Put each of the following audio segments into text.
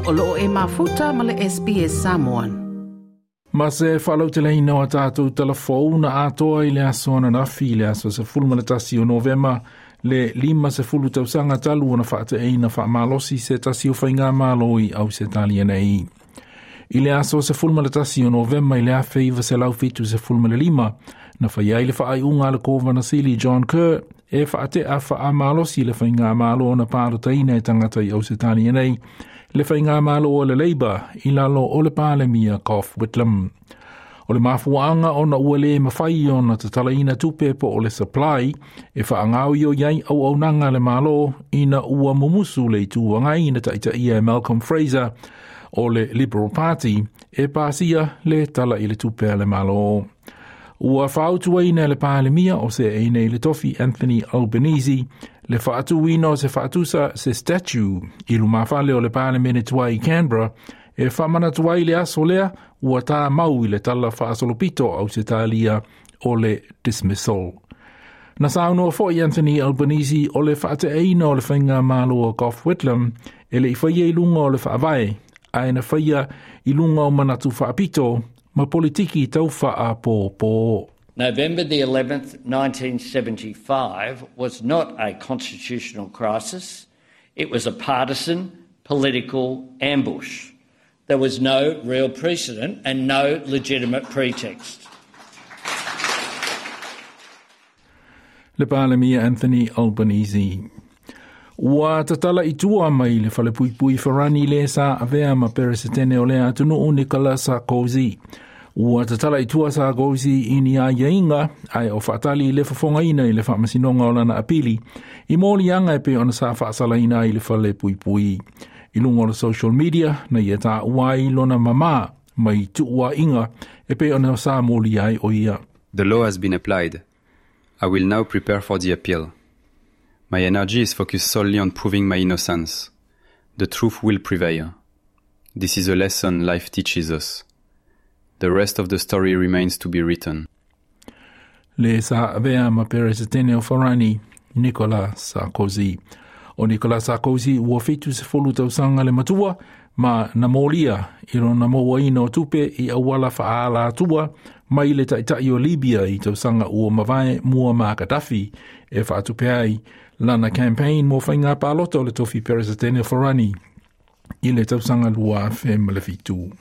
O loo e mafuta ma le SBS Samoan. Ma se faalauteleina o a tatou talafou na atoa i le aso ananafi i le aso 11 o Novema le 50 tausaga talu ona faate'eina faamalosi se tasi o faigamalo i Ausetalia nei. I le aso 11 o Novema i le 1975, na fai ai le faaiuga a le Kovana Sili John Kerr e faate'a faamalosi le faigamalo na palotaina e tagata i Ausetalia nei, le faigamalo o le Labour i lalo o le Palemia Gough Whitlam. O le mafuaanga ona ua le mafai ona tatalaina tupe po o le supply e faagaoioi ai auaunaga a le Malo ina ua mumusu le Itu Agai na taitaia e Malcolm Fraser o le Liberal Party e pasia le Tala i le Tupe a le Malo. Ua fautuaina e le Palemia o seei nei i le tofi Anthony Albanese le faatuina o se faatusa se statue i lumafale o le Palemene tuai i Canberra e faamanatu ai le aso lea ua tāmau i le tala faasolopito o Ausetalia o le dismissal. Na saunoa foi Anthony Albanese o le faate'eina o le faigamalo a Gough Whitlam e le i faia i luga o le faavae, ae na faia i luga o manatu faapito ma politiki tau faapopo. November the 11th, 1975 was not a constitutional crisis. It was a partisan political ambush. There was no real precedent and no legitimate pretext. Le Palemia Anthony Albanese. Ua tatala i tua mai le falepuipui Farani le sa avea ma Peresetene o lea atunuu Nicolas Sarkozy. Ua tatala i tua Sarkozy i ni aiaiga ae o faatali i le fofogaina i le faamasinoga o lana apili i moliaga e pei ona sa faasalaina ai le falepuipui. I luga o le social media na ia taua ai lona mamā mai tuuaiga e pei ona sa molia ai o ia. The law has been applied. I will now prepare for the appeal. My energy is focused solely on proving my innocence. The truth will prevail. This is a lesson life teaches us. The rest of the story remains to be written. Le sa avea ma Peresetene o Farani, Nicolas Sarkozy. O Nicolas Sarkozy ua 70 tausaga le matua ma na molia i lona mauaina o tupe i auala faaalatua mai le taitai o Libya i tausaga ua mavae Muammar Gaddafi e faatupe ai lana campaign mo faiga palota o le tofi Peresetene o Farani i le tausaga 2007.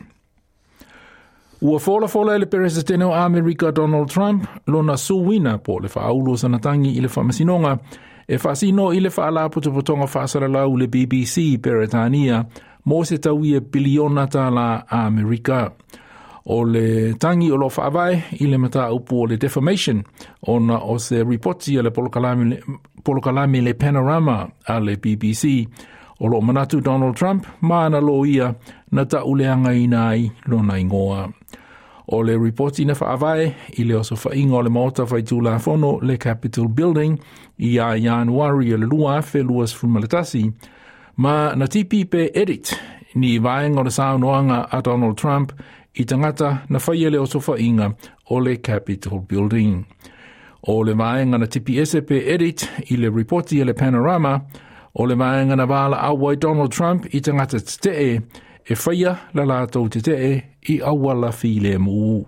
Ua folafola e le Peresetene o Amerika Donald Trump lona suina po o le faaulu o sana tagi i le faamasinoga e faasino i le Faalapotopotoga Faasalalau le BBC Peretania mo se tauia piliona tālā Amerika. O le tagi o lo faavae i le mataupu o le defamation ona o se ripoti a le polokalame le Panorama a le BBC o lo manatu Donald Trump ma ana loia na ta'uleagaina ai lona igoa. O le ripoti na faavae i le osofaiga o le Maota Faitulafono le Capitol Building ia Ianuari o le 2021, ma na tipi pe edit ni vaega o le saunoaga a Donald Trump i tagata na faia le osofaiga o le Capitol Building. O le vaega na tipi ese pe edit i le ripoti a le Panorama, o le vaega na valaau ai Donald Trump i tagata tetee e faia la latou tetee i auala filemu.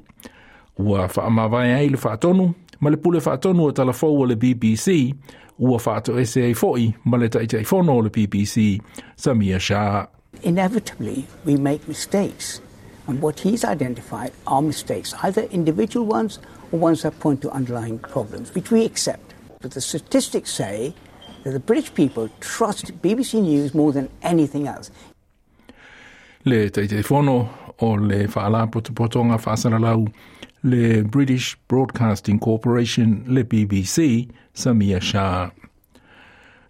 Ua faamavae ai le faatonu ma le pule faatonu o talafou o le BBC, ua faatoese ai foi ma le Taitaifono o le BBC, Samia Shah. Inevitably, we make mistakes. And what he's identified are mistakes, either individual ones or ones that point to underlying problems, which we accept. But the statistics say that the British people trust BBC News more than anything else. Le Taitaifono o le Faalapotopotoga Faasalalau le British Broadcasting Corporation le BBC, Samia Shah.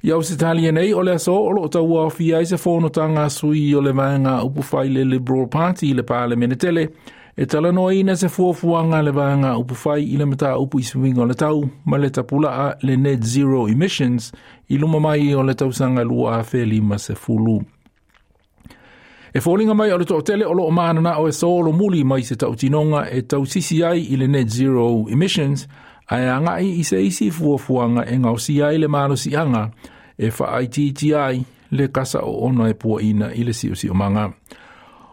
I Ausetalia nei, o le aso o lo o tauaofia ai se fonotaga a sui o le vaega upufai le Liberal Party i le Palemene tele, e talanoaina se fuafuaga a le vaega upufai i le mataupu i suiga o le tau ma le tapulaa le net zero emissions i luma mai o le tausaga 2050. E foliga mai o le toatele o lo o mananao e solomuli mai se tautinoga e tausisi ai i le net zero emissions, ae agai i se isi fuafuaga e gaosia ai le malosiaga e faaitiitia ai Le kasa o ona e puaina i le siosiomaga.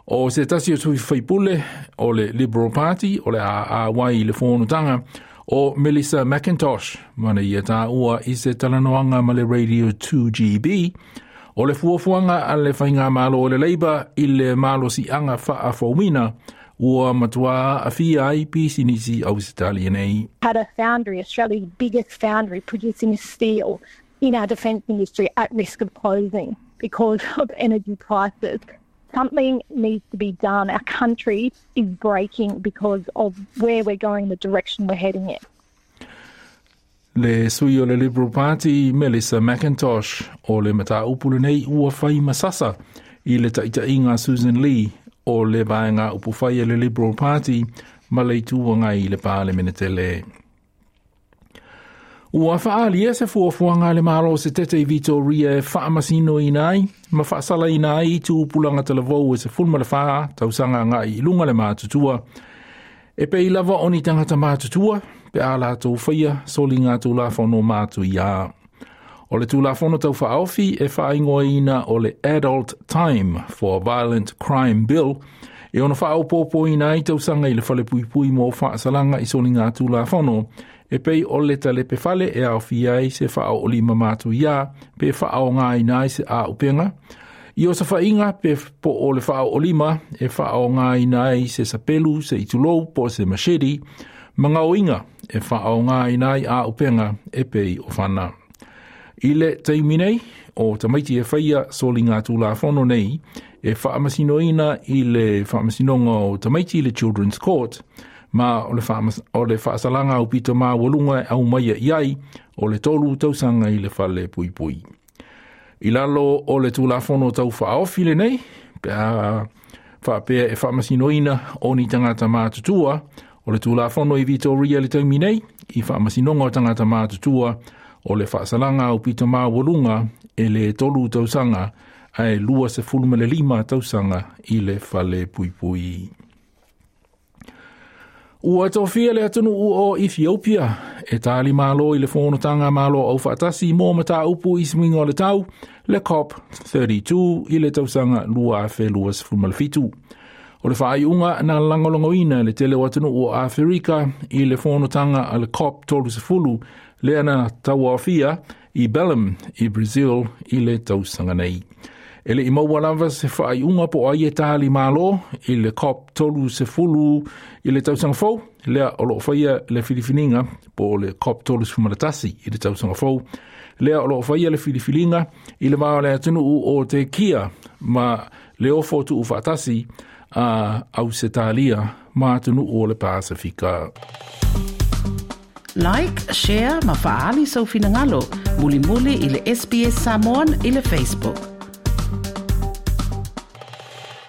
O se tasi o sui faipule o le Liberal Party o le AAY i le fonotaga o Melissa McIntosh, mana ia tāua i se talanoaga ma le Radio 2GB, o le fuafuaga a le faigamalo o le Labour i le malosiaga faafouina ua matua aafia ai pisinisi Ausetalia nei. Had a foundry, Australia's biggest foundry, producing steel in our defence industry at risk of closing because of energy prices. Something needs to be done. Our country is breaking because of where we're going, the direction we're heading in. Le sui o le Liberal Party Melissa McIntosh o le mataupu lenei ua fai masasa i le taitaiga Susan Lee o le vaega upufai a le Liberal Party ma le Itu Agai i le Palemene tele. Ua faaalia se fuafuaga a le Malo o Setete i Vitoria e faamasinoina ai ma faasalaina ai tupulaga talavou e 14 tausaga agai i luga le matutua. E pei lava o ni tagata matutua pe a latou faia soliga tulafono matuia. O le Tulafono Tau Faaofi e faaigoaina o le Adult Time for Violent Crime Bill e ono faaopoopoina ai tausaga i le falepuipui mo faasalaga i soliga tulafono e pei o le talepe fale e aofia ai se faaoolima matuia pe faaaogaina ai se aupenga i osofaiga pe po o le faaoolima e faaaogaina ai se sapelu se itulou po o se machete ma gaoiga e faaaogaina ai aupenga e pei o fana. I le taimi nei, o tamaiti e faia soliga tulafono nei e faamasinoina i le faamasinoga o tamaiti i le Children's Court, ma o le, o le faasalaga aupito maualuga e aumaia i ai o le 3 tausaga i le fale puipui. I lalo o le Tulafono Tau Faaofi lenei, pe a faapea e faamasinoina o ni tagata matutua, o le Tulafono i Vitoria i le taimi nei, i faamasinoga o tagata matutua, o le faasalaga aupito maualuga e le 3 tausaga ae 25 tausaga i le fale puipui. Ua tofia le atunuu o Ethiopia e tali malo i le fonotaga Malo Aufaatasi mo mataupu i suiga o le tau, le COP32 i le tausaga 2027. O le faaiuga na lagolagoina e le tele o atunuu o Aferika i le fonotaga a le COP30 lea na tauaofia i Belém i Brazil i le tausaga nei. E le i maua lava se faaiuga po o ai e tali malo i le COP 30 i le tausaga fou, lea o lo o faia le filifiliga po o le COP 31 i le tausaga fou, lea o lo o faia le filifiliga i le va o le atunuu o Tekia ma le ofo tuufaatasi a Ausetalia ma atunuu o le Pasifika. Like, share ma faaali sou finagalo mulimuli i le SBS Samoan i le Facebook.